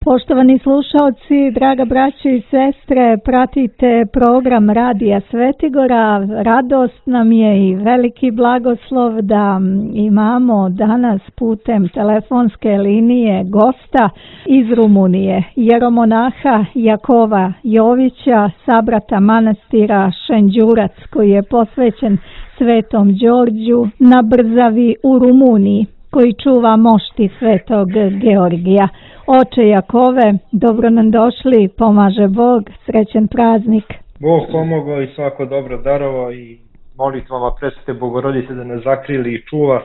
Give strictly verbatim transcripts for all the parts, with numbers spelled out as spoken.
Poštovani slušalci, draga braćo i sestre, pratite program Radija Svetigora. Radost nam je i veliki blagoslov da imamo danas putem telefonske linije gosta iz Rumunije, jeromonaha Jakova Jovića, sabrata manastira Šenđurac, koji je posvećen Svetom Đorđu na Brzavi u Rumuniji, koji čuva mošti Svetog Georgija. Oče Jakove, dobro nam došli, pomaže Bog, srećen praznik. Bog pomogao i svako dobro darovao i molitvama Presvete Bogorodice da nas zakrili i čuva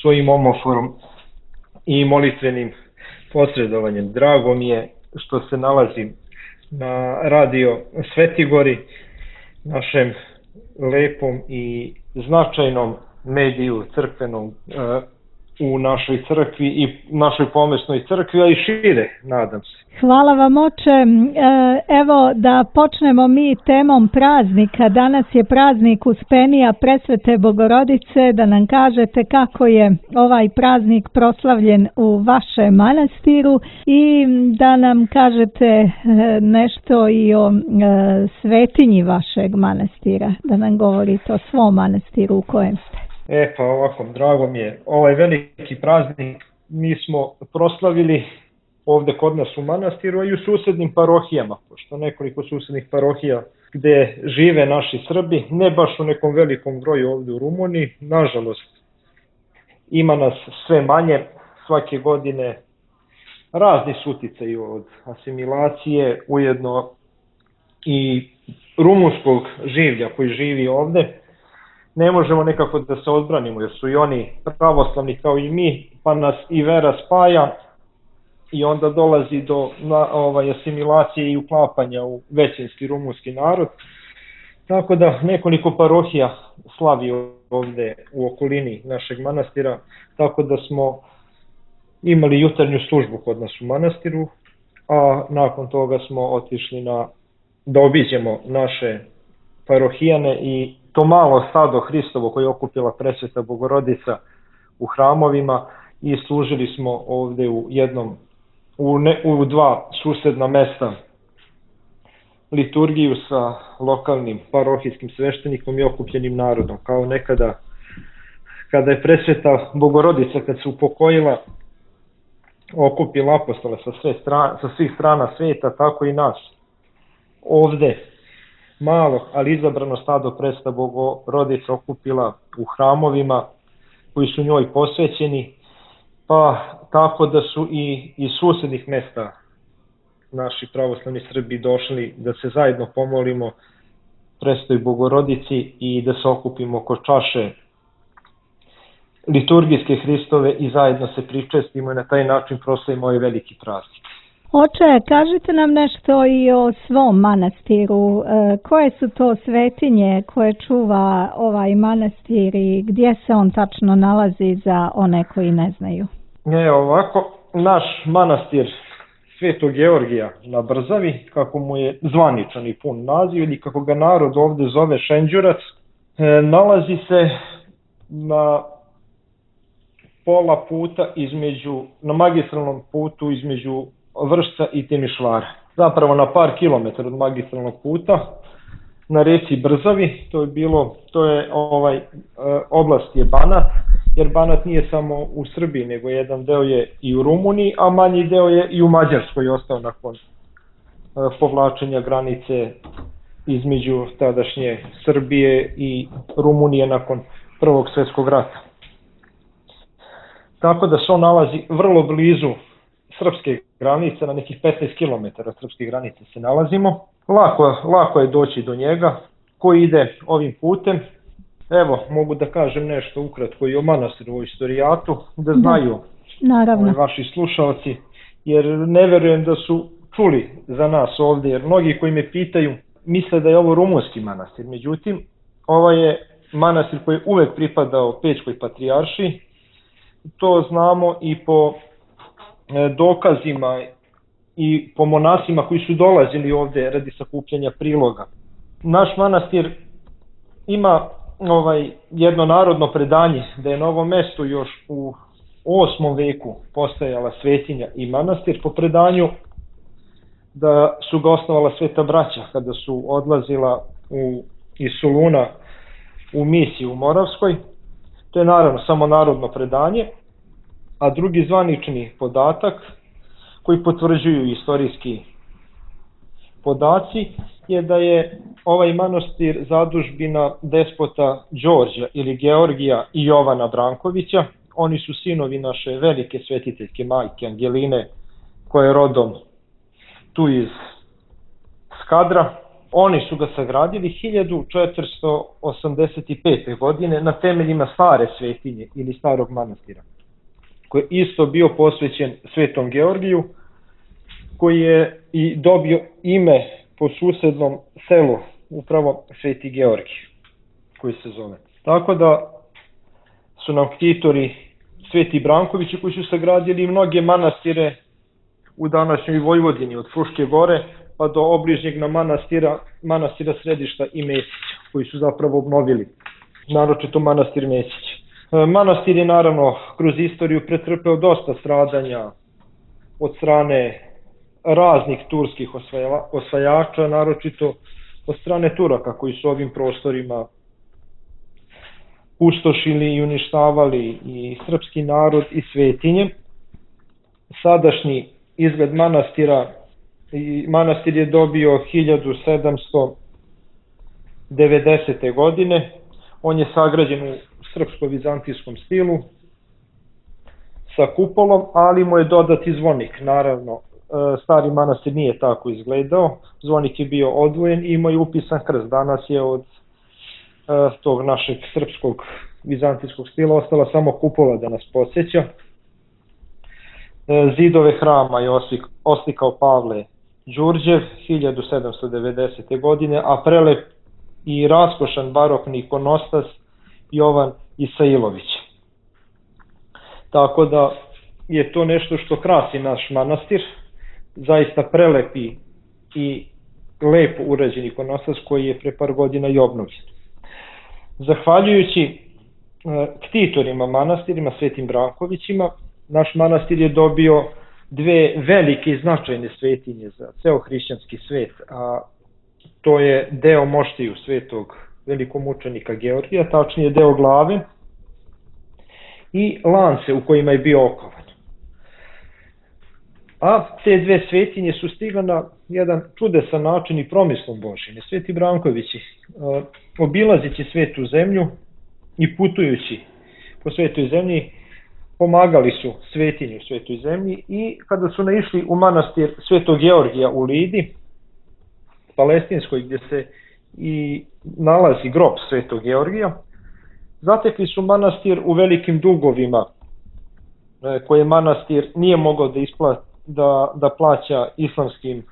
svojim omoforom i molitvenim posredovanjem. Drago mi je što se nalazim na Radio Svetigori, našem lepom i značajnom mediju crkvenom u našoj crkvi i našoj pomesnoj crkvi, a i šire, nadam se. Hvala vam, oče. Evo da počnemo mi temom praznika. Danas je praznik Uspenija Presvete Bogorodice, da nam kažete kako je ovaj praznik proslavljen u vašem manastiru i da nam kažete nešto i o svetinji vašeg manastira, da nam govorite o svom manastiru u kojem ste. E pa ovako, drago mi je, ovaj veliki praznik mi smo proslavili ovde kod nas u manastiru, a i u susednim parohijama, pošto nekoliko susednih parohija gde žive naši Srbi, ne baš u nekom velikom broju ovde u Rumuniji, nažalost ima nas sve manje, svake godine razni su uticaji od asimilacije, ujedno i rumunskog življa koji živi ovde. Ne možemo nekako da se odbranimo jer su i oni pravoslavni kao i mi, pa nas i vera spaja i onda dolazi do na, ovaj, asimilacije i uklapanja u većinski rumunski narod. Tako da nekoliko parohija slavi ovde u okolini našeg manastira, tako da smo imali jutarnju službu kod nas u manastiru, a nakon toga smo otišli na, da obiđemo naše parohijane i to malo stado Hristovo koje je okupila Presveta Bogorodica u hramovima i služili smo ovde u jednom, u, ne, u dva susedna mesta liturgiju sa lokalnim parohijskim sveštenikom i okupljenim narodom, kao nekada kada je Presveta Bogorodica kad se upokojila okupila apostole sa, sve strana, sa svih strana sveta, tako i nas ovde malo, ali izabrano stado Presveta Bogorodica okupila u hramovima koji su njoj posvećeni, pa tako da su i iz susednih mesta naši pravoslavni Srbi došli da se zajedno pomolimo Presvetoj Bogorodici i da se okupimo oko čaše liturgijske Hristove i zajedno se pričestimo i na taj način proslavimo ovaj veliki praznik. Oče, kažite nam nešto i o svom manastiru. E, koje su to svetinje koje čuva ovaj manastir i gdje se on tačno nalazi za one koji ne znaju? E, ovako, naš manastir Svetog Georgija na Brzavi, kako mu je zvaničan i pun naziv ili kako ga narod ovde zove Šenđurac, e, nalazi se na pola puta između, na magistralnom putu između Vršca i Timišvara. Zapravo na par kilometara od magistralnog puta na reci Brzavi, to je bilo, to je ovaj oblast je Banat, jer Banat nije samo u Srbiji, nego jedan deo je i u Rumuniji, a manji deo je i u Mađarskoj ostao nakon povlačenja granice između tadašnje Srbije i Rumunije nakon Prvog svjetskog rata. Tako da se on nalazi vrlo blizu srpske granice, na nekih petnaest kilometara srpske granice se nalazimo. Lako, lako je doći do njega. Ko ide ovim putem, evo, mogu da kažem nešto ukratko i o manastiru, o istorijatu, da znaju Naravno. vaši slušalci, jer ne verujem da su čuli za nas ovde, jer mnogi koji me pitaju misle da je ovo rumunski manastir. Međutim, ovo je manastir koji je uvek pripadao Pećkoj patrijaršiji. To znamo i po dokazima i po monasima koji su dolazili ovde radi sakupljanja priloga. Naš manastir ima ovaj jedno narodno predanje da je na ovom mestu još u osmom veku postojala svetinja i manastir. Po predanju da su ga osnovala Sveta braća kada su odlazila u, iz Soluna u misiju u Moravskoj. To je naravno samo narodno predanje, a drugi zvanični podatak koji potvrđuju istorijski podaci je da je ovaj manastir zadužbina despota Đorđa ili Georgija i Jovana Brankovića. Oni su sinovi naše velike svetiteljke majke Angeline, koja je rodom tu iz Skadra. Oni su ga sagradili hiljadu četiristo osamdeset pete. godine na temeljima stare svetinje ili starog manastira, koji je isto bio posvećen Svetom Georgiju, koji je i dobio ime po susednom selu, upravo Sveti Georgij, koji se zove. Tako da su nam ktitori Sveti Brankovići koji su sagradili mnoge manastire u današnjoj Vojvodini, od Fruške gore pa do obližnjeg na manastira, manastira Središta i Mesića, koji su zapravo obnovili, naročito manastir Mesić. Manastir je naravno kroz istoriju pretrpeo dosta stradanja od strane raznih turskih osvajača, naročito od strane Turaka koji su ovim prostorima pustošili i uništavali i srpski narod i svetinje. Sadašnji izgled manastira, manastir je dobio hiljadu sedamsto devedesete. godine. On je sagrađen u srpsko-vizantijskom stilu sa kupolom, ali mu je dodat i zvonik. Naravno, stari manastir nije tako izgledao, zvonik je bio odvojen i imao je upisan krst. Danas je od tog našeg srpskog vizantijskog stila ostala samo kupola da nas podsjeća. Zidove hrama je oslikao Pavle Đurđev hiljadu sedamsto devedesete. godine, a prelep i raskošan barokni ikonostas Jovan Isailović. Tako da je to nešto što krasi naš manastir, zaista prelepi i lepo urađen ikonostas koji je pre par godina i obnovljen. Zahvaljujući ktitorima manastirima, Svetim Brankovićima, naš manastir je dobio dve velike i značajne svetinje za ceo hrišćanski svet, a to je deo moštiju svetog velikomučenika Georgija, tačnije deo glave i lance u kojima je bio okovan. A te dve svetinje su stigle na jedan čudesan način i promislom Božjim. Sveti Brankovići, obilazeći svetu zemlju i putujući po svetoj zemlji, pomagali su svetinju u svetoj zemlji i kada su naišli u manastir Svetog Georgija u Lidi, Palestinskoj, gdje se i nalazi grob Svetog Georgija, zatekli su manastir u velikim dugovima koje manastir nije mogao da, ispla, da, da plaća islamskim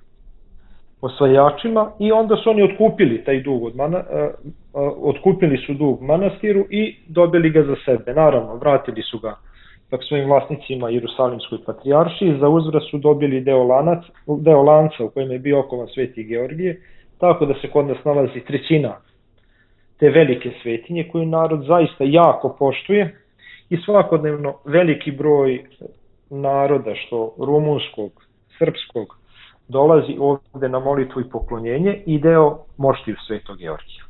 osvajačima i onda su oni otkupili taj dug od mana, otkupili su dug manastiru i dobili ga za sebe. Naravno, vratili su ga tak svojim vlasnicima Jerusalimskoj patrijaršiji, za uzvrat su dobili deo, lanac, deo lanca u kojem je bio okovan Sveti Georgije, tako da se kod nas nalazi trećina te velike svetinje koju narod zaista jako poštuje i svakodnevno veliki broj naroda, što rumunskog, srpskog, dolazi ovde na molitvu i poklonjenje i deo moštiju Svetog Georgija.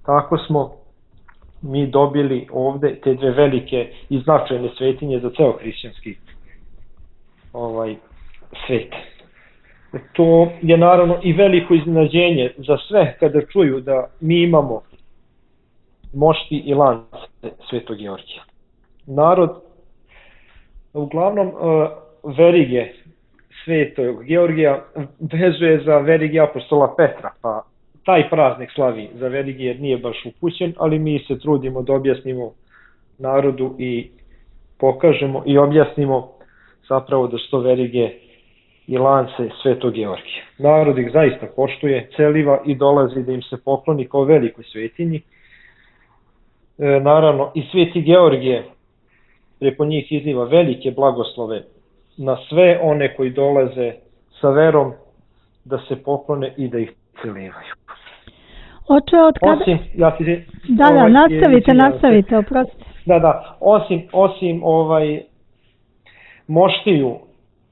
Tako smo mi dobili ovde te dve velike i značajne svetinje za ceo hrišćanski ovaj, svet. To je naravno i veliko iznenađenje za sve kada čuju da mi imamo mošti i lance Svetog Georgija. Narod uglavnom verige Svetog Georgija vezuje za verige apostola Petra, pa taj praznik slavi za verige jer nije baš upućen, ali mi se trudimo da objasnimo narodu i pokažemo i objasnimo zapravo da su to verige i lance Svetog Georgija. Narod ih zaista poštuje, celiva i dolazi da im se pokloni kao velikoj svetinji. E, naravno i Sveti Georgije preko njih izliva velike blagoslove na sve one koji dolaze sa verom da se poklone i da ih celivaju. Oče, od kada... Osim, ja ti... Da, da, ovaj, nastavite, je, nastavite, oprostite. Da, da, osim, osim ovaj, moštiju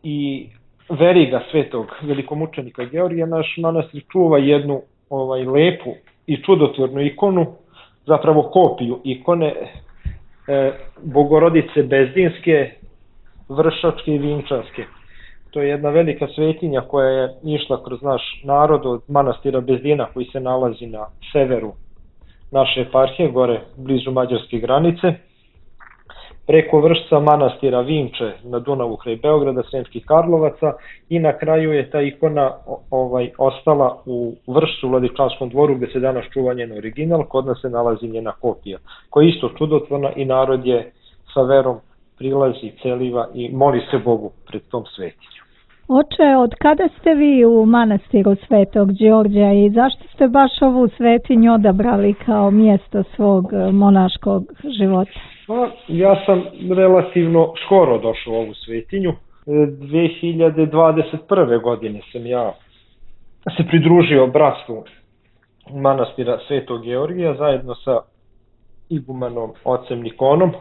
i veriga svetog velikomučenika Georgija, naš manastir čuva jednu ovaj lepu i čudotvornu ikonu, zapravo kopiju ikone e, Bogorodice Bezdinske, Vršačke i Vinčanske. To je jedna velika svetinja koja je išla kroz naš narod od manastira Bezdina koji se nalazi na severu naše eparhije, gore blizu mađarske granice, preko Vršca, manastira Vinče na Dunavu kraj Beograda, Sremskih Karlovaca i na kraju je ta ikona ovaj, ostala u Vršcu, u Vladičanskom dvoru gde se danas čuva njen original, kod nas se nalazi njena kopija, koja je isto čudotvorna i narod je sa verom prilazi, celiva i moli se Bogu pred tom svetinjom. Oče, od kada ste vi u manastiru Svetog Đorđa i zašto ste baš ovu svetinju odabrali kao mjesto svog monaškog života? Pa, ja sam relativno skoro došao u ovu svetinju. dve hiljade dvadeset prve. godine sam ja se pridružio bratstvu manastira Svetog Georgija zajedno sa igumanom ocem Nikonom,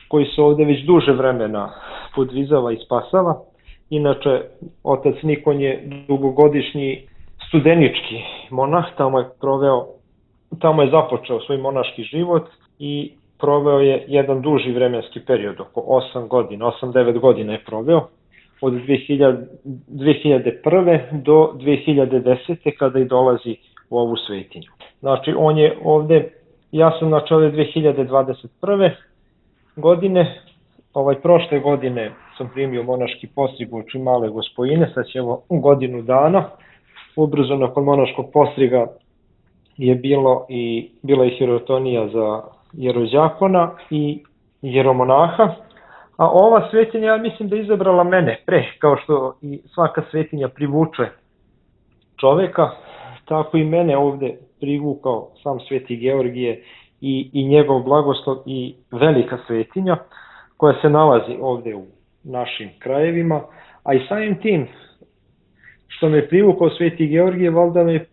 koji se ovde već duže vremena podvizava i spasava. Inače, otac Nikon je dugogodišnji studenički monah, tamo je proveo, tamo je započeo svoj monaški život i proveo je jedan duži vremenski period, oko osam godina, osam devet godina je proveo, od dve hiljade prve. do dve hiljade desete. kada i dolazi u ovu svetinju. Znači, on je ovde, ja sam znači ove dve hiljade dvadeset prve. godine, ovaj prošle godine sam primio monaški postrig u oči Male Gospojine, sad ćemo godinu dana. Ubrzo nakon monaškog postriga je bilo i, bila i hirotonija za jerođakona i jeromonaha, a ova svetinja, ja mislim da je izabrala mene pre, kao što i svaka svetinja privuče čoveka, tako i mene ovde privukao sam Sveti Georgije i, i njegov blagoslov i velika svetinja koja se nalazi ovde u našim krajevima, a i samim tim što me privukao Sveti Georgije, valjda me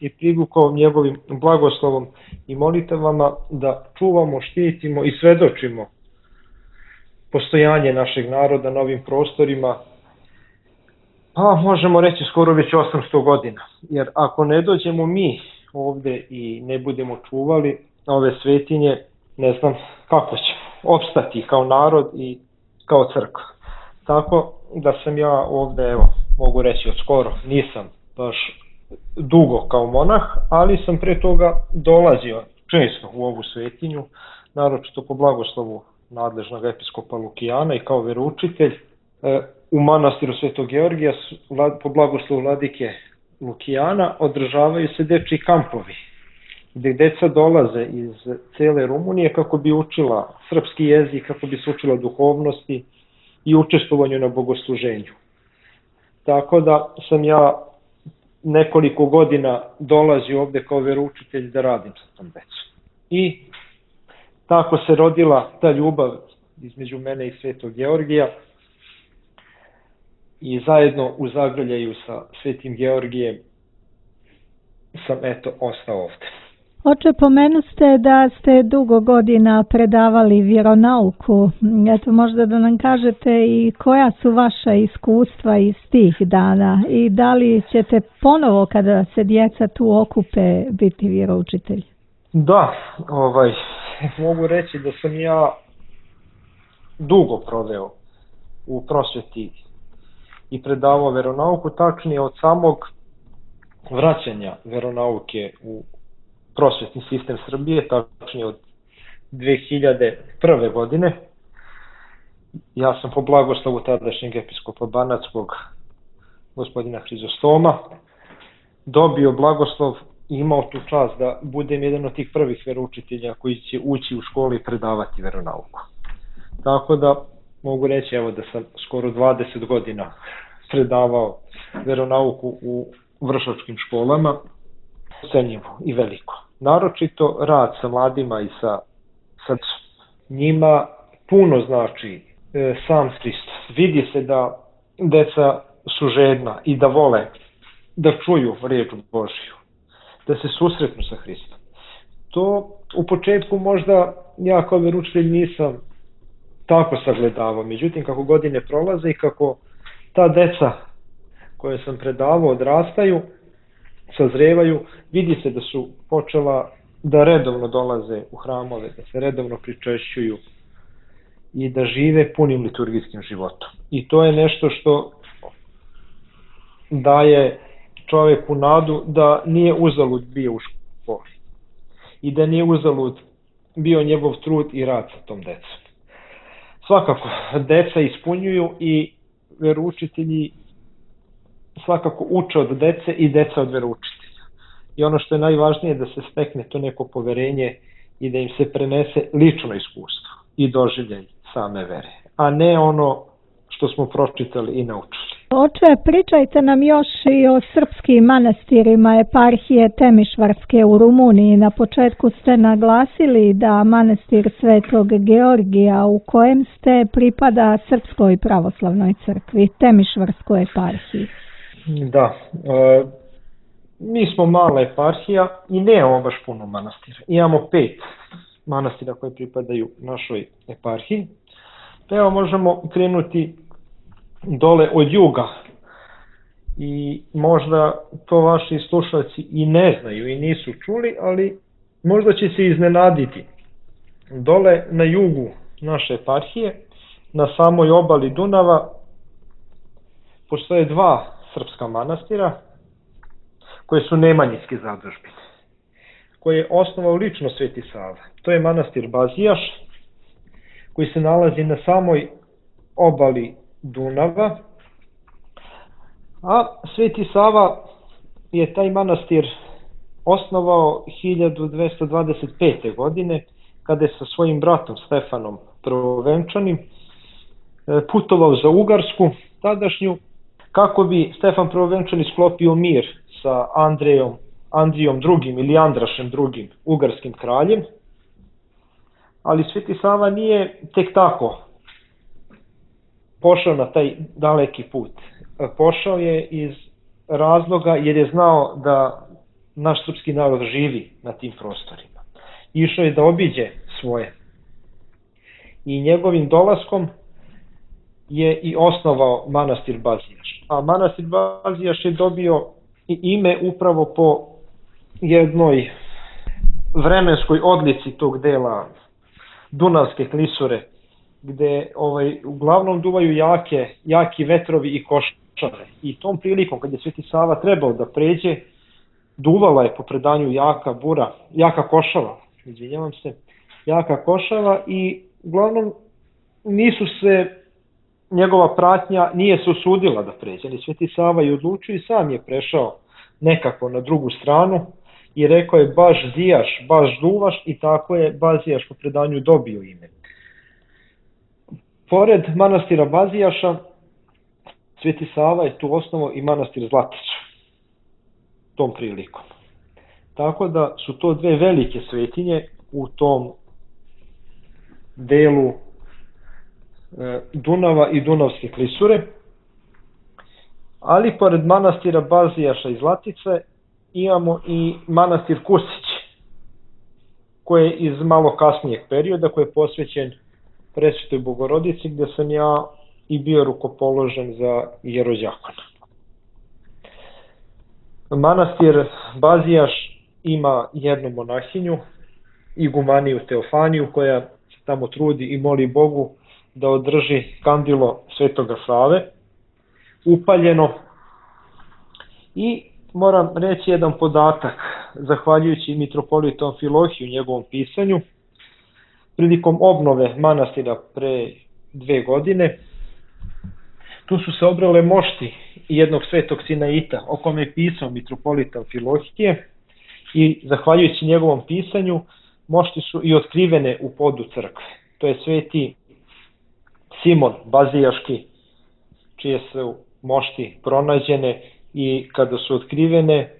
i privukao njegovim blagoslovom i molitavama da čuvamo, štitimo i svedočimo postojanje našeg naroda na ovim prostorima, pa možemo reći skoro već osamsto godina. Jer ako ne dođemo mi ovde i ne budemo čuvali ove svetinje, ne znam kako će opstati kao narod i kao crkva. Tako da sam ja ovde, evo, mogu reći od skoro, nisam baš dugo kao monah, ali sam pre toga dolazio često u ovu svetinju, naročito po blagoslovu nadležnog episkopa Lukijana i kao veroučitelj. U manastiru Svetog Georgija po blagoslovu vladike Lukijana održavaju se dečji kampovi, gde deca dolaze iz cele Rumunije kako bi učila srpski jezik, kako bi se učila duhovnosti i učestvovanju na bogosluženju. Tako da sam ja nekoliko godina dolazio ovde kao veroučitelj da radim sa tom decom. I tako se rodila ta ljubav između mene i Svetog Georgija i zajedno u zagrljaju sa Svetim Georgijem sam eto ostao ovde. Oče, pomenuste da ste dugo godina predavali vjeronauku. Eto, možda da nam kažete i koja su vaša iskustva iz tih dana i da li ćete ponovo kada se djeca tu okupe biti vjeroučitelji? Da, ovaj, mogu reći da sam ja dugo proveo u prosveti i predavao veronauku, tačnije od samog vraćanja veronauke u prosvetni sistem Srbije, tačnije od dve hiljade prve. godine. Ja sam po blagoslovu tadašnjeg episkopa Banatskog, gospodina Hrizostoma, dobio blagoslov i imao tu čast da budem jedan od tih prvih veroučitelja koji će ući u školu i predavati veronauku. Tako da mogu reći evo da sam skoro dvadeset godina predavao veronauku u vršačkim školama, cenjivo i veliko. Naročito rad sa mladima i sa, sa njima puno znači e, sam Hristos. Vidi se da deca su žedna i da vole da čuju riječ Božju, da se susretnu sa Hristom. To u početku možda ja kao veroučitelj nisam tako sagledavao, međutim kako godine prolaze i kako ta deca koje sam predavao odrastaju, sazrevaju, vidi se da su počela da redovno dolaze u hramove, da se redovno pričešćuju i da žive punim liturgijskim životom. I to je nešto što daje čoveku nadu da nije uzalud bio u školi i da nije uzalud bio njegov trud i rad sa tom decom. Svakako, deca ispunjuju i veroučitelji svakako uče od dece i deca od veroučitelja. I ono što je najvažnije je da se stekne to neko poverenje i da im se prenese lično iskustvo i doživljaj same vere, a ne ono što smo pročitali i naučili. Oče, pričajte nam još i o srpskim manastirima eparhije Temišvarske u Rumuniji. Na početku ste naglasili da manastir Svetog Georgija u kojem ste pripada Srpskoj pravoslavnoj crkvi, Temišvarskoj eparhiji. Da, e, mi smo mala eparhija i nemamo baš puno manastira. Imamo pet manastira koje pripadaju našoj eparhiji. Evo možemo krenuti dole od juga i možda to vaši slušalci i ne znaju i nisu čuli, ali možda će se iznenaditi. Dole na jugu naše eparhije, na samoj obali Dunava, postoje dva srpska manastira koje su nemanjinske zadužbine, koje je osnovao lično Sveti Sava. To je manastir Bazijaš, koji se nalazi na samoj obali Dunava, a Sveti Sava je taj manastir osnovao hiljadu dvesta dvadeset pete. godine, kada je sa svojim bratom Stefanom Prvovenčanim putovao za Ugarsku tadašnju, kako bi Stefan Prvovenčani sklopio mir sa Andrejom, Andrijom drugim ili Andrašem drugim, ugarskim kraljem. Ali Sveti Sava nije tek tako pošao na taj daleki put. Pošao je iz razloga jer je znao da naš srpski narod živi na tim prostorima. Išao je da obiđe svoje. I njegovim dolaskom je i osnovao manastir Bazijaš. A manastir Bazijaš je dobio i ime upravo po jednoj vremenskoj odlici tog dela Dunavske klisure, gde ovaj, uglavnom duvaju jake, jaki vetrovi i košare. I tom prilikom, kad je Sveti Sava trebao da pređe, duvala je po predanju jaka bura, jaka košava, izvinjavam se, jaka košava i uglavnom nisu se, njegova pratnja nije se usudila da pređe, ali Sveti Sava je odlučio i sam je prešao nekako na drugu stranu i rekao je baš zijaš, baš duvaš i tako je Bazijaš po predanju dobio ime. Pored manastira Bazijaša, Sveti Sava je tu osnovao i manastir Zlatića tom prilikom. Tako da su to dve velike svetinje u tom delu Dunava i Dunavske klisure, ali pored manastira Bazijaša i Zlatice imamo i manastir Kusić, koji je iz malo kasnijeg perioda, koji je posvećen Presvetoj Bogorodici, gde sam ja i bio rukopoložen za jerodjakona. Manastir Bazijaš ima jednu monahinju, igumaniju Teofaniju, koja se tamo trudi i moli Bogu da održi kandilo Svetoga Save, upaljeno. I moram reći jedan podatak, zahvaljujući mitropolitu Amfilohiju u njegovom pisanju, prilikom obnove manastira pre dve godine, tu su se obrale mošti jednog svetog Sinaita, o kome je pisao mitropolit Amfilohije, i zahvaljujući njegovom pisanju, mošti su i otkrivene u podu crkve. To je sveti Simon Bazijaški, čije su mošti pronađene i kada su otkrivene,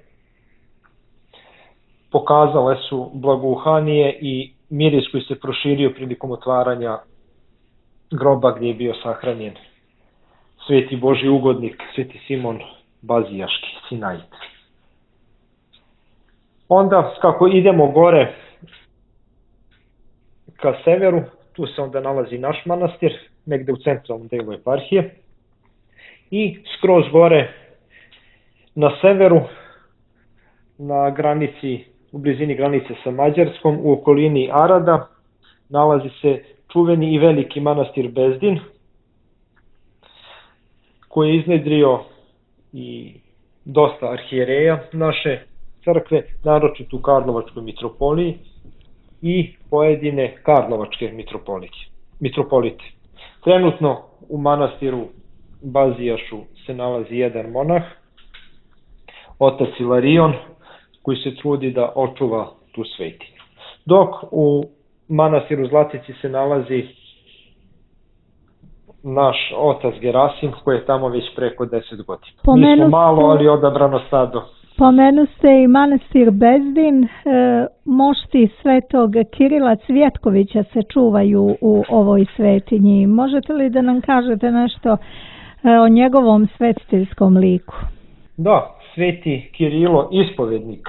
pokazale su blagouhanije i miris koji se proširio prilikom otvaranja groba gdje je bio sahranjen sveti Božji ugodnik, sveti Simon Bazijaški, Sinait. Onda, kako idemo gore ka severu, tu se onda nalazi naš manastir, negde u centralnom delu eparhije. i skroz gore na severu, na granici, u blizini granice sa Mađarskom, u okolini Arada, nalazi se čuveni i veliki manastir Bezdin, koji je iznedrio i dosta arhijereja naše crkve, naročito u Karlovačkoj mitropoliji i pojedine Karlovačke mitropolite. Trenutno u manastiru Bazijašu se nalazi jedan monah, otac Ilarion, koji se trudi da očuva tu svetinju. Dok u manastiru Zlatici se nalazi naš otac Gerasim, koji je tamo već preko deset godina. Pomenu Mi smo malo, ali odabrano stado. Pomenu ste i manastir Bezdin, e, mošti svetog Kirila Cvjetkovića se čuvaju u ovoj svetinji. Možete li da nam kažete nešto e, o njegovom svetiteljskom liku? Da, sveti Kirilo, ispovednik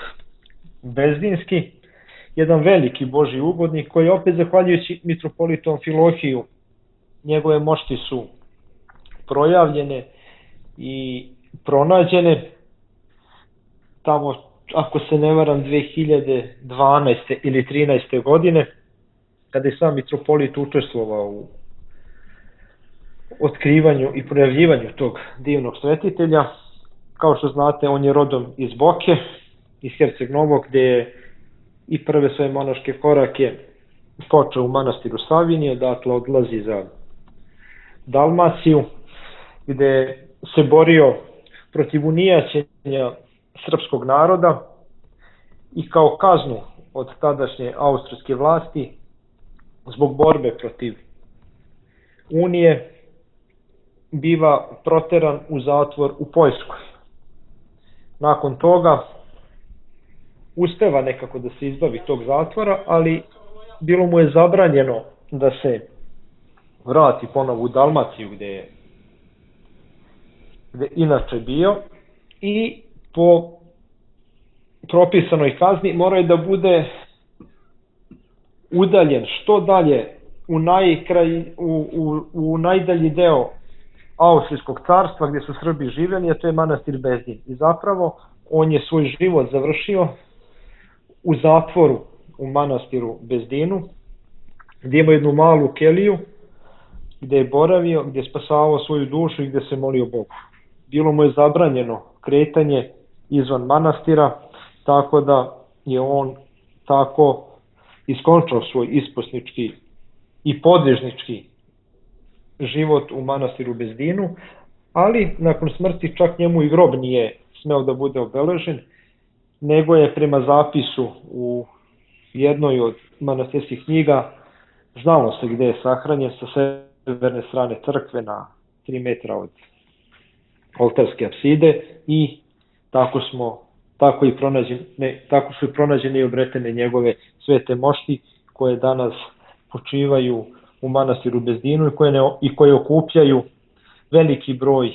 bezdinski, jedan veliki Božji ugodnik koji opet zahvaljujući mitropolitu Amfilohiju, njegove mošti su projavljene i pronađene tamo, ako se ne varam, dve hiljade dvanaeste ili trinaeste godine, kada je sam mitropolit učestvovao u otkrivanju i projavljivanju tog divnog svetitelja. Kao što znate, on je rodom iz Boke, iz Herceg Novog, gde je i prve svoje monaške korake počeo u manastiru Savinije, dakle odlazi za Dalmaciju, gde se borio protiv unijaćenja srpskog naroda i kao kaznu od tadašnje austrijske vlasti zbog borbe protiv unije biva proteran u zatvor u Poljskoj. Nakon toga uspeva nekako da se izbavi tog zatvora, ali bilo mu je zabranjeno da se vrati ponovo u Dalmaciju gde je gde inače bio i po propisanoj kazni mora je da bude udaljen što dalje u, najkraj, u, u, u najdalji deo Austrijskog carstva gdje su Srbi živjeli, a to je manastir Bezdin. I zapravo on je svoj život završio u zatvoru u manastiru Bezdinu, gdje ima jednu malu keliju, gdje je boravio, gdje je spasavao svoju dušu i gdje se molio Bogu. Bilo mu je zabranjeno kretanje izvan manastira, tako da je on tako iskončao svoj isposnički i podvižnički život u manastiru Bezdinu, ali nakon smrti čak njemu i grob nije smeo da bude obeležen, nego je prema zapisu u jednoj od manastirskih knjiga znalo se gde je sahranjen, sa severne strane crkve na tri metra od oltarske apside i tako smo tako i pronađene, tako su i pronađene i obretene njegove svete mošti koje danas počivaju u manastiru Bezdinu i koje, ne, i koje okupljaju veliki broj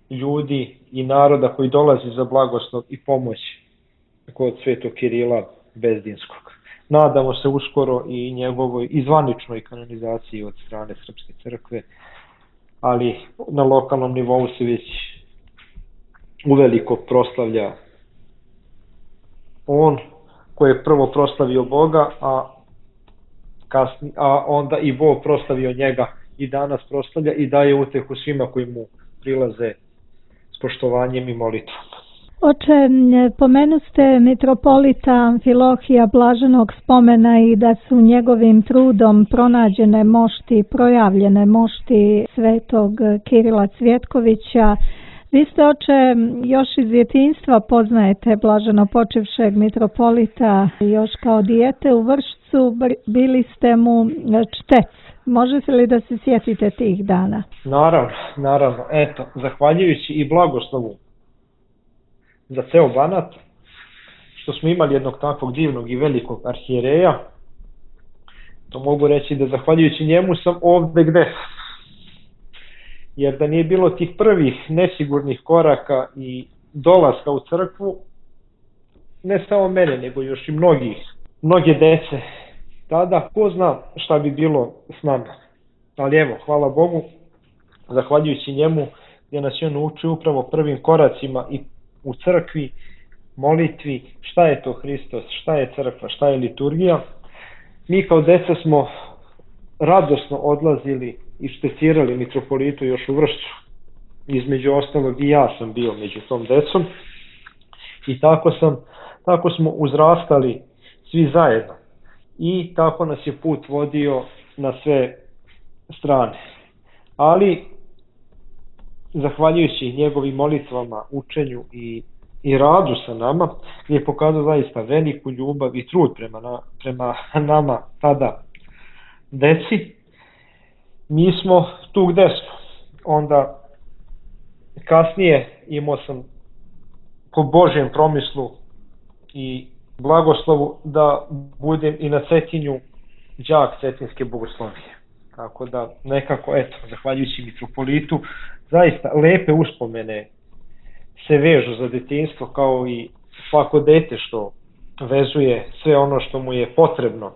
ljudi i naroda koji dolazi za blagoslov i pomoć kod svetog Kirila Bezdinskog. Nadamo se uskoro i njegovoj izvaničnoj kanonizaciji od strane Srpske crkve, ali na lokalnom nivou se već uveliko proslavlja on koji je prvo proslavio Boga, a, kasni, a onda i Bog proslavio njega i danas proslavlja i daje utehu svima koji mu prilaze s poštovanjem i molitvom. Oče, pomenu ste mitropolita Amfilohija blaženog spomena i da su njegovim trudom pronađene mošti, projavljene mošti svetog Kirila Cvjetkovića. Vi ste, oče, još iz djetinjstva poznajete blaženo počivšeg mitropolita, još kao dijete u Vršcu bili ste mu čtec. Možete li da se sjetite tih dana? Naravno, naravno. Eto, zahvaljujući i blagoslovu za ceo Banat, što smo imali jednog takvog divnog i velikog arhijereja, to mogu reći da zahvaljujući njemu sam ovde gde sam. Jer da nije bilo tih prvih nesigurnih koraka i dolaska u crkvu, ne samo mene, nego još i mnogih, mnoge dece, tada ko zna šta bi bilo s nama. Ali evo, hvala Bogu, zahvaljujući njemu, gdje nas je on učio upravo prvim koracima i u crkvi, molitvi, šta je to Hristos, šta je crkva, šta je liturgija. Mi kao deca smo radosno odlazili i štecirali mitropolitu još u Vršcu. Između ostalog i ja sam bio među tom decom i tako, sam, tako smo uzrastali svi zajedno i tako nas je put vodio na sve strane. Ali zahvaljujući njegovim molitvama, učenju i, i radu sa nama, je pokazao zaista veliku ljubav i trud prema, na, prema nama tada deci. Mi smo tu gde smo. Onda kasnije imao sam po Božjem promislu i blagoslovu da budem i na Cetinju đak Cetinske bogoslovije. Tako da nekako, eto, zahvaljujući mitropolitu, zaista lepe uspomene se vežu za detinjstvo, kao i svako dete što vezuje sve ono što mu je potrebno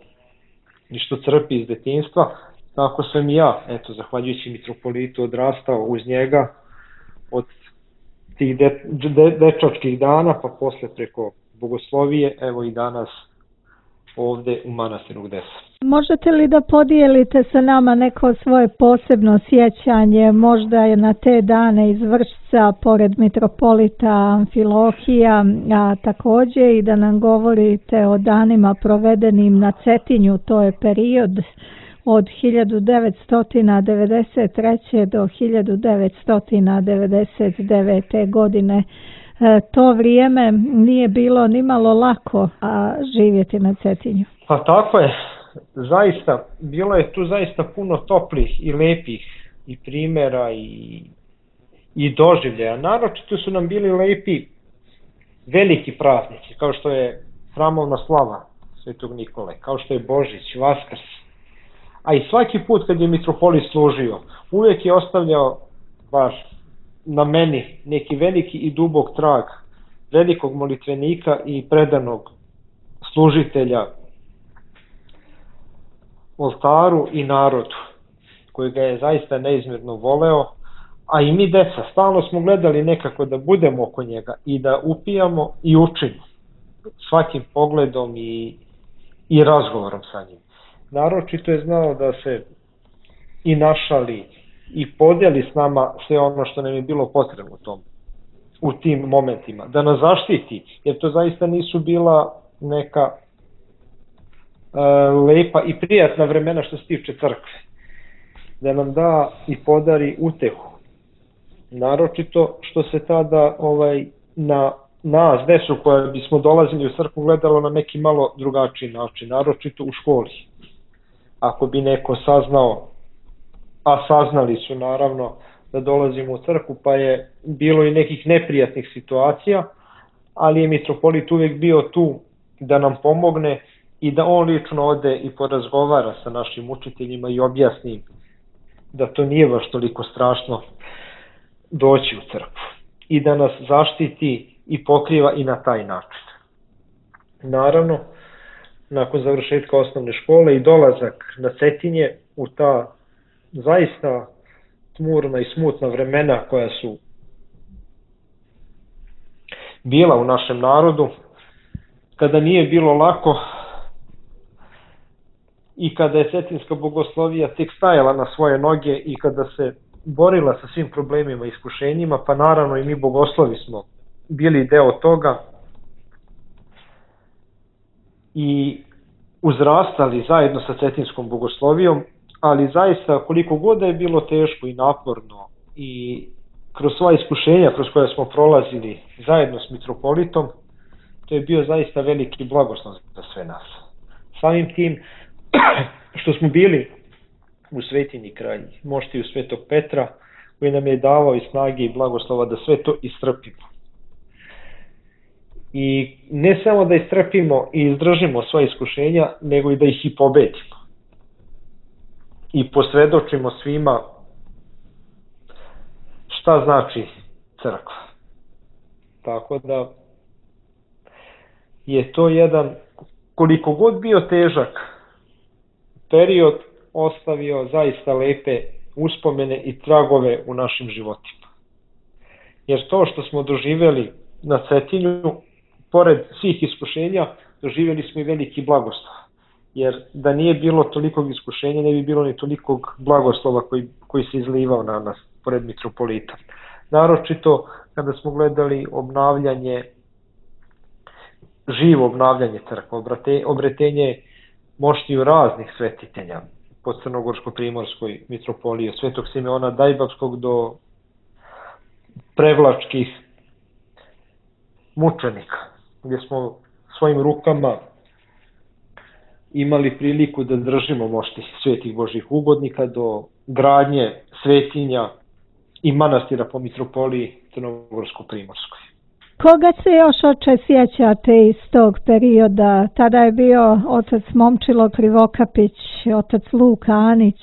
i što crpi iz detinjstva. Tako sam i ja, eto, zahvaljujući mitropolitu, odrastao uz njega od tih de, de, dečačkih dana, pa posle preko bogoslovije, evo i danas ovde u manastiru gde sam. Možete li da podijelite sa nama neko svoje posebno sjećanje, možda je na te dane iz Vršca, pored mitropolita Amfilohija, a također i da nam govorite o danima provedenim na Cetinju, to je period od hiljadu devetsto devedeset treće. do hiljadu devetsto devedeset devete. godine. E, to vrijeme nije bilo nimalo lako a živjeti na Cetinju. Pa tako je, zaista, bilo je tu zaista puno toplih i lepih i primjera i, i doživljaja. Naročito su nam bili lepi veliki praznici, kao što je hramovna slava Svetog Nikole, kao što je Božić, Vaskrs. A i svaki put kad je mitropolit služio, uvijek je ostavljao baš na meni neki veliki i dubok trag velikog molitvenika i predanog služitelja oltaru i narodu, koji ga je zaista neizmjerno voleo, a i mi deca stalno smo gledali nekako da budemo oko njega i da upijamo i učimo svakim pogledom i, i razgovorom sa njim. Naročito je znao da se i našali i podijeli s nama sve ono što nam je bilo potrebno u tom, u tim momentima, da nas zaštiti, jer to zaista nisu bila neka e, lepa i prijatna vremena što se tiče crkve, da nam da i podari utehu, naročito što se tada ovaj, na nas, decu koja bismo dolazili u crkvu, gledalo na neki malo drugačiji način, naročito u školi. Ako bi neko saznao, a saznali su naravno da dolazimo u crkvu, pa je bilo i nekih neprijatnih situacija, ali je mitropolit uvijek bio tu da nam pomogne i da on lično ode i porazgovara sa našim učiteljima i objasni da to nije baš toliko strašno doći u crkvu i da nas zaštiti i pokriva i na taj način. Naravno, nakon završetka osnovne škole i dolazak na Cetinje u ta zaista tmurna i smutna vremena koja su bila u našem narodu, kada nije bilo lako i kada je Cetinska bogoslovija tek stajala na svoje noge i kada se borila sa svim problemima i iskušenjima, pa naravno i mi bogoslovi smo bili deo toga i uzrastali zajedno sa Cetinskom bogoslovijom, ali zaista koliko god da je bilo teško i naporno i kroz sva iskušenja kroz koja smo prolazili zajedno s mitropolitom, to je bio zaista veliki blagoslov za sve nas. Samim tim što smo bili u Svetinji kraj moštiju Svetog Petra, koji nam je davao i snage i blagoslova da sve to istrpimo. I ne samo da istrpimo i izdržimo sva iskušenja, nego i da ih i pobedimo. I posvedočimo svima šta znači crkva. Tako da je to jedan, koliko god bio težak period, ostavio zaista lepe uspomene i tragove u našim životima. Jer to što smo doživjeli na Cetinju, pored svih iskušenja, doživjeli smo i veliki blagoslov. Jer da nije bilo tolikog iskušenja, ne bi bilo ni tolikog blagoslova koji, koji se izlivao na nas, pored mitropolita. Naročito kada smo gledali obnavljanje, živo obnavljanje crkva, obretenje moštiju raznih svetitelja po Crnogorsko-primorskoj mitropoliji, od Svetog Simeona Dajbavskog do prevlačkih mučenika, gdje smo svojim rukama imali priliku da držimo mošti svetih Božih ugodnika, do gradnje svetinja i manastira po mitropoliji Crnogorsko-primorskoj. Koga se još, oče, sjećate iz tog perioda? Tada je bio otac Momčilo Krivokapić, otac Luka Anić.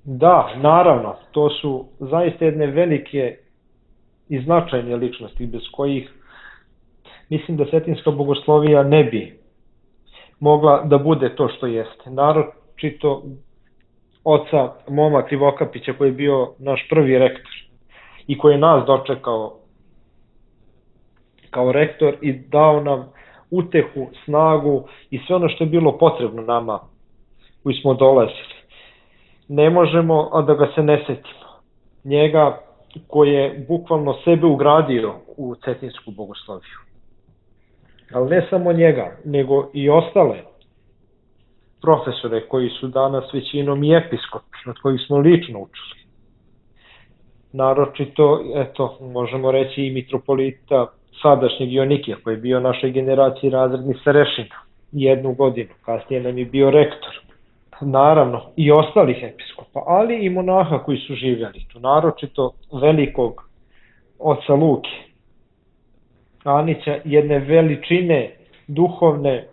Da, naravno, to su zaista jedne velike i značajne ličnosti, bez kojih mislim da cetinska bogoslovija ne bi mogla da bude to što jeste. Naročito oca Moma Krivokapića, koji je bio naš prvi rektor i koji je nas dočekao kao rektor i dao nam utehu, snagu i sve ono što je bilo potrebno nama koji smo dolazili. Ne možemo a da ga se ne setimo. Njega koji je bukvalno sebe ugradio u cetinsku bogosloviju. Ali ne samo njega, nego i ostale profesore koji su danas većinom i episkopi, od kojih smo lično učili. Naročito, eto, možemo reći i mitropolita sadašnjeg Jonikija, koji je bio našoj generaciji razredni starešina jednu godinu, kasnije nam je bio rektor. Naravno, i ostalih episkopa, ali i monaha koji su živjeli tu, naročito velikog oca Luke Anića, jedne veličine duhovne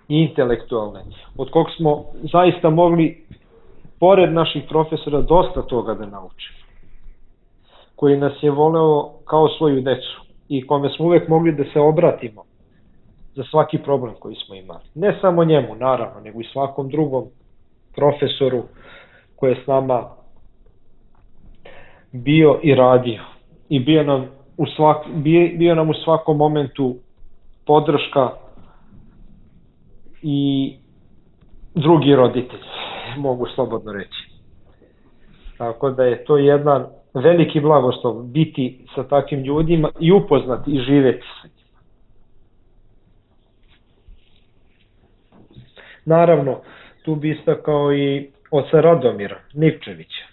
i intelektualne, od kog smo zaista mogli, pored naših profesora, dosta toga da naučimo, koji nas je voleo kao svoju decu i kome smo uvek mogli da se obratimo za svaki problem koji smo imali. Ne samo njemu, naravno, nego i svakom drugom profesoru koji je s nama bio i radio. I bio nam u, svak, bio, bio nam u svakom momentu podrška i drugi roditelj, mogu slobodno reći. Tako da je to jedan veliki blagoslov biti sa takvim ljudima i upoznati i živeti sa njima. Naravno, tu bi istakao i oca Radomira Nivčevića,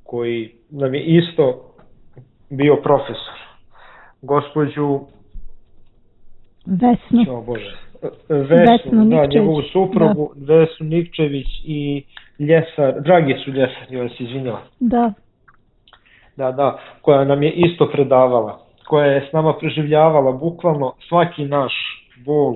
koji nam je isto bio profesor. Gospođu Vesnu. O Bože, Vesnu, Vesnu da, njegovu suprugu, da. Vesnu Nivčević i Ljesar, Dragicu Ljesar, joj se izvinjala. Da. Da, da, koja nam je isto predavala, koja je s nama preživljavala bukvalno svaki naš bol,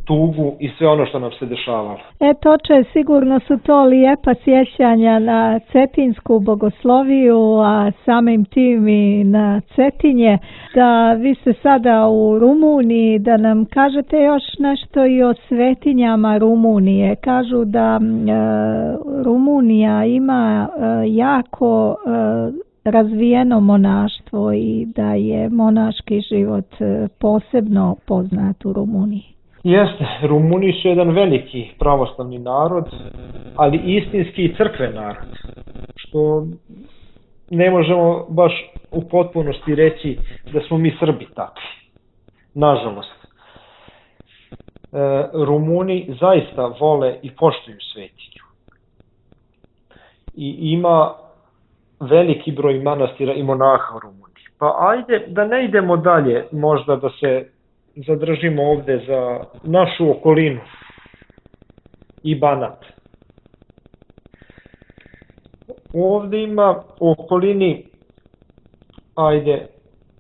tugu i sve ono što nam se dešavalo. Eto, oče, sigurno su to lijepa sjećanja na cetinsku bogosloviju, a samim tim i na Cetinje. Da vi ste sada u Rumuniji, da nam kažete još nešto i o svetinjama Rumunije. Kažu da e, Rumunija ima e, jako e, razvijeno monaštvo i da je monaški život e, posebno poznat u Rumuniji. Jeste, Rumuni su jedan veliki pravoslavni narod, ali istinski i crkven narod, što ne možemo baš u potpunosti reći da smo mi Srbi takvi, nažalost. E, Rumuni zaista vole i poštuju svetinju. I ima veliki broj manastira i monaha u Rumuniji. Pa ajde da ne idemo dalje, možda da se zadržimo ovde za našu okolinu i Banat. Ovde ima u okolini, ajde,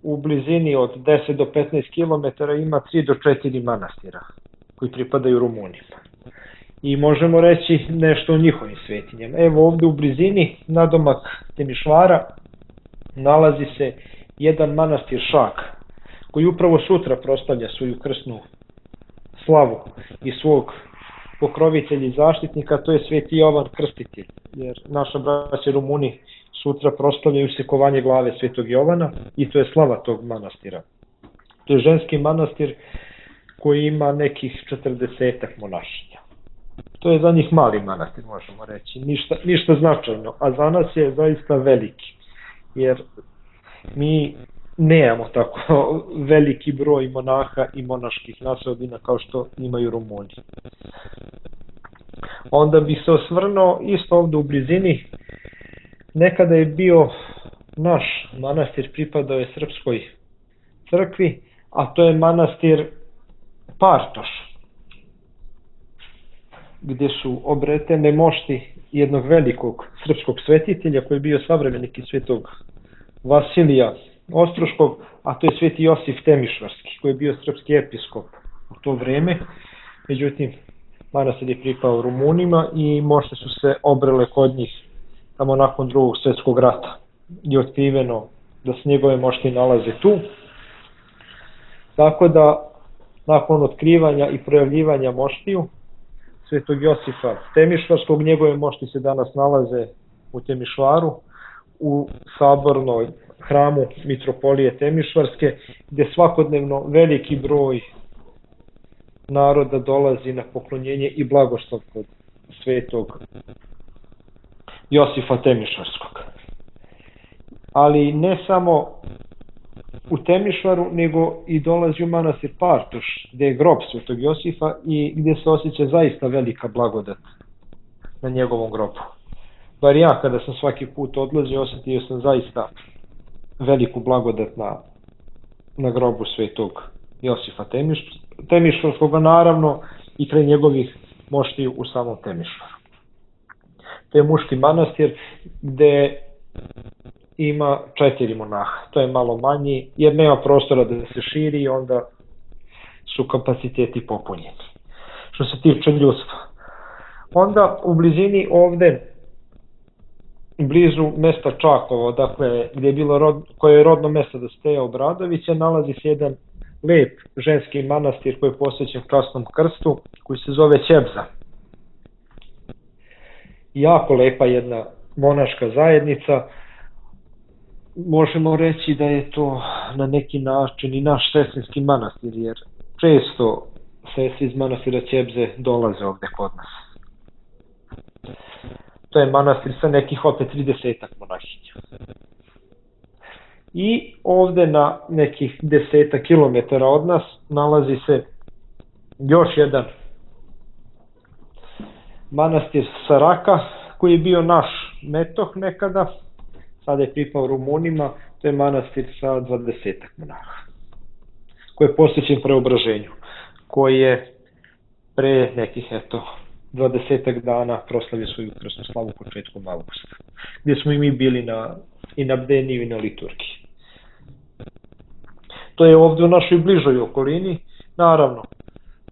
u blizini od deset do petnaest kilometara ima tri do četiri manastira koji pripadaju Rumunima. I možemo reći nešto o njihovim svetinjama. Evo ovde u blizini, nadomak Temišvara, nalazi se jedan manastir Šak, koji upravo sutra proslavlja svoju krsnu slavu i svog pokrovitelj i zaštitnik, a to je Sveti Jovan Krstitelj, jer naša braća Rumuni sutra proslavljaju sekovanje glave Svetog Jovana i to je slava tog manastira. To je ženski manastir koji ima nekih četrdesetak monašinja. To je za njih mali manastir, možemo reći, ništa, ništa značajno, a za nas je zaista veliki, jer mi nemamo tako veliki broj monaha i monaških naseobina kao što imaju Rumuni. Onda bih se osvrnuo isto ovde u blizini, nekada je bio naš manastir, pripadao je Srpskoj crkvi, a to je manastir Partoš, gdje su obretene mošti jednog velikog srpskog svetitelja koji je bio savremenik i svetog Vasilija Ostroškog, a to je Sveti Josif Temišvarski, koji je bio srpski episkop u to vreme. Međutim, manastir je pripao Rumunima i mošte su se obrele kod njih tamo nakon drugog svjetskog rata. Je otkriveno da se njegove mošti nalaze tu. Tako da, nakon otkrivanja i projavljivanja moštiju Svetog Josifa Temišvarskog, njegove mošti se danas nalaze u Temišvaru, u sabornoj hramu Mitropolije Temišvarske, gdje svakodnevno veliki broj naroda dolazi na poklonjenje i blagoslov kod Svetog Josifa Temišvarskog. Ali ne samo u Temišvaru, nego i dolazi u manastir Partoš, gdje je grob Svetog Josifa i gdje se osjeća zaista velika blagodat na njegovom grobu. Bar ja, kada sam svaki put odlazio, osjetio sam zaista veliku blagodat na, na grobu Svetog Josifa Temiš, Temišvarskog, naravno i kraj njegovih moštiju u samom Temišvaru. To je muški manastir gdje ima četiri monaha. To je malo manji jer nema prostora da se širi i onda su kapaciteti popunjeni. Što se tiče ljudstva. Onda u blizini ovde, blizu mesta Čakovo, dakle gdje je bilo rod, koje je rodno mesto da Steja Obradovića, nalazi se jedan lep ženski manastir koji je posvećen Krasnom krstu, koji se zove Ćebza. Jako lepa jedna monaška zajednica. Možemo reći da je to na neki način i naš sestrinski manastir, jer često sestri iz manastira Ćebze dolaze ovde kod nas. To je manastir sa nekih opet tridesetak monahinja. I ovde na nekih desetak kilometara od nas nalazi se još jedan manastir Saraka, koji je bio naš metoh nekada, sada je pripao Rumunima. To je manastir sa dvadesetak monaha, koji je posvećen Preobraženju, koji je pre nekih, eto, dvadesetak dana proslavio svoju krsnu slavu početkom avgusta, gdje smo i mi bili na, i na bdeniju i na liturgiji. To je ovdje u našoj bližoj okolini. Naravno,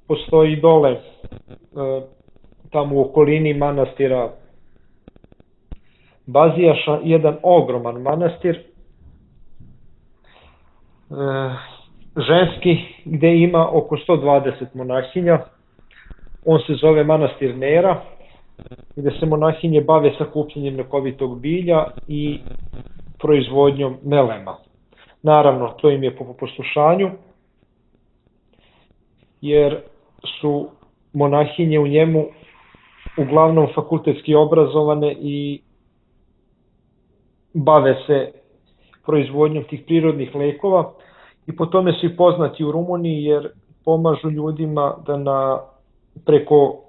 postoji dole, e, tamo u okolini manastira Bazijaša, jedan ogroman manastir, e, ženski, gdje ima oko sto dvadeset monahinja. On se zove manastir Nera, gdje se monahinje bave sakupljanjem lekovitog bilja i proizvodnjom melema. Naravno, to im je po poslušanju, jer su monahinje u njemu uglavnom fakultetski obrazovane i bave se proizvodnjom tih prirodnih lekova i po tome su i poznati u Rumuniji, jer pomažu ljudima da na, preko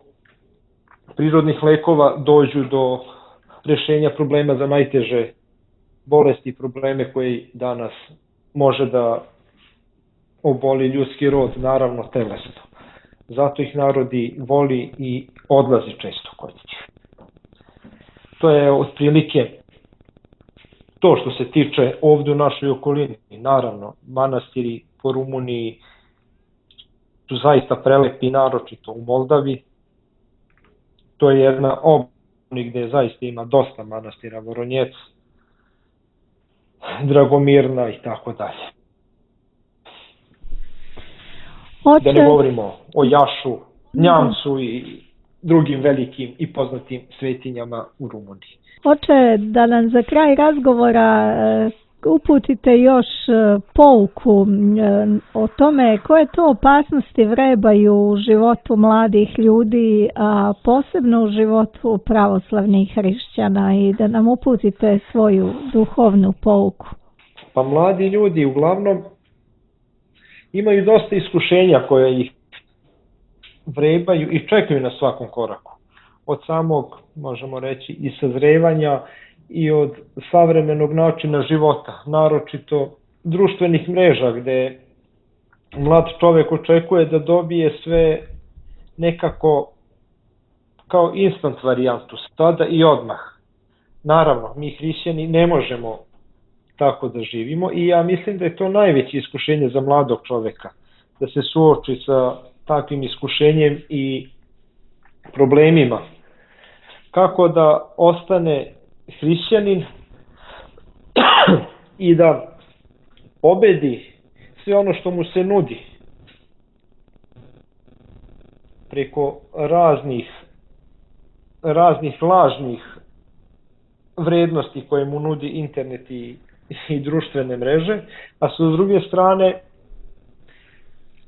prirodnih lekova dođu do rješenja problema za najteže bolesti i probleme koji danas može da oboli ljudski rod, naravno telesno. Zato ih narodi voli i odlazi često kod njih. To je otprilike to što se tiče ovdje u našoj okolini. Naravno, manastiri po Rumuniji su zaista prelepi, naročito u Moldavi. To je jedna oblast gdje zaista ima dosta manastira, Voronjec, Dragomirna i tako dalje. Oče... Da ne govorimo o Jašu, Njamcu i drugim velikim i poznatim svetinjama u Rumuniji. Oče, da nam za kraj razgovora uputite još pouku o tome koje to opasnosti vrebaju u životu mladih ljudi, a posebno u životu pravoslavnih hrišćana, i da nam uputite svoju duhovnu pouku. Pa mladi ljudi uglavnom imaju dosta iskušenja koje ih vrebaju i čekaju na svakom koraku. Od samog, možemo reći, i sazrevanja i od savremenog načina života, naročito društvenih mreža gde mlad čovek očekuje da dobije sve nekako kao instant varijantu, sada i odmah. Naravno, mi hrišćani ne možemo tako da živimo i ja mislim da je to najveće iskušenje za mladog čoveka, da se suoči sa takvim iskušenjem i problemima. Kako da ostane hrišćanin i da pobedi sve ono što mu se nudi preko raznih raznih lažnih vrednosti koje mu nudi internet i, i društvene mreže, a sa druge strane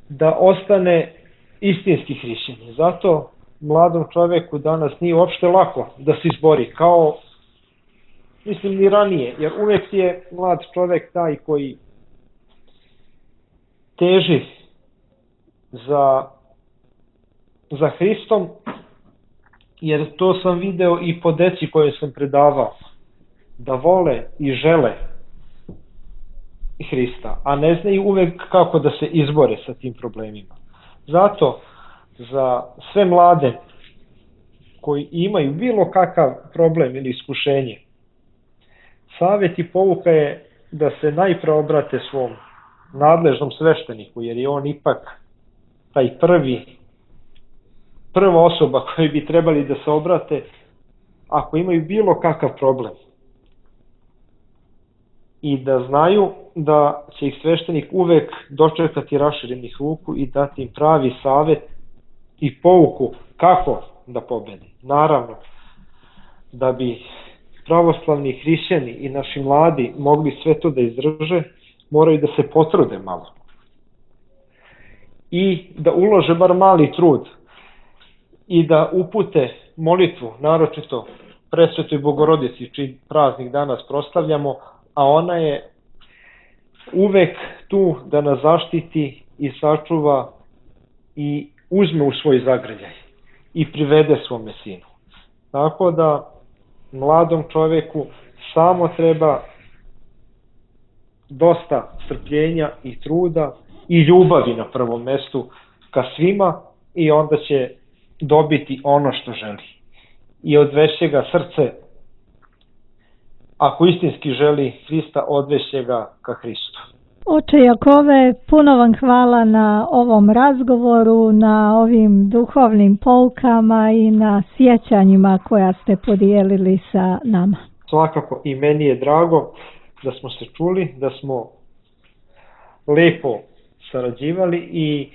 da ostane istinski hrišćanin. Zato mladom čoveku danas nije uopšte lako da se izbori, kao mislim ni ranije, jer uvek je mlad čovek taj koji teži za, za Hristom, jer to sam video i po deci koje sam predavao, da vole i žele Hrista, a ne znaju uvek kako da se izbore sa tim problemima. Zato za sve mlade koji imaju bilo kakav problem ili iskušenje, savjet i pouka je da se najpre obrate svom nadležnom svešteniku, jer je on ipak taj prvi, prva osoba koji bi trebali da se obrate ako imaju bilo kakav problem. I da znaju da će ih sveštenik uvek dočekati raširenih ruku i dati im pravi savjet i pouku kako da pobede. Naravno, da bi pravoslavni hrišćani i naši mladi mogli sve to da izdrže, moraju da se potrude malo. I da ulože bar mali trud i da upute molitvu, naročito Presvetoj Bogorodici, čiji praznik danas proslavljamo, a ona je uvek tu da nas zaštiti i sačuva i uzme u svoj zagrljaj i privede svome sinu. Tako da mladom čoveku samo treba dosta strpljenja i truda i ljubavi na prvom mestu ka svima, i onda će dobiti ono što želi. I odveće ga srce, ako istinski želi Hrista, odveće ga ka Hristu. Oče Jakove, puno vam hvala na ovom razgovoru, na ovim duhovnim poukama i na sjećanjima koja ste podijelili sa nama. Svakako i meni je drago da smo se čuli, da smo lepo sarađivali i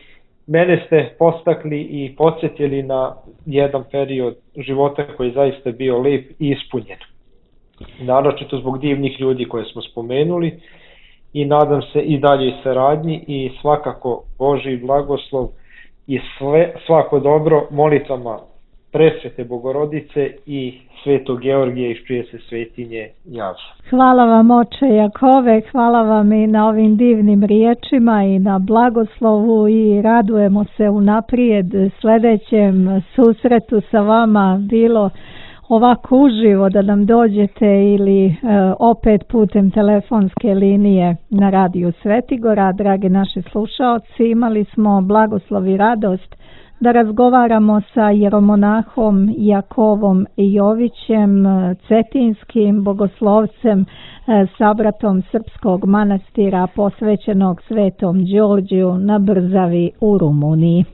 mene ste postakli i podsjetili na jedan period života koji je zaista bio lep i ispunjen. Naročito zbog divnih ljudi koje smo spomenuli, i nadam se i dalje saradnji i svakako Božji blagoslov i sve, svako dobro molitvama Presvete Bogorodice i Svetog Georgija iz čije se svetinje javlja. Hvala vam, oče Jakove, hvala vam i na ovim divnim riječima i na blagoslovu, i radujemo se unaprijed sljedećem susretu sa vama, bilo ovako uživo da nam dođete ili e, opet putem telefonske linije na radiju Svetigora. Dragi naši slušaoci, imali smo blagoslov i radost da razgovaramo sa jeromonahom Jakovom Jovićem, cetinskim bogoslovcem, sabratom srpskog manastira posvećenog Svetom Đorđiju na Brzavi u Rumuniji.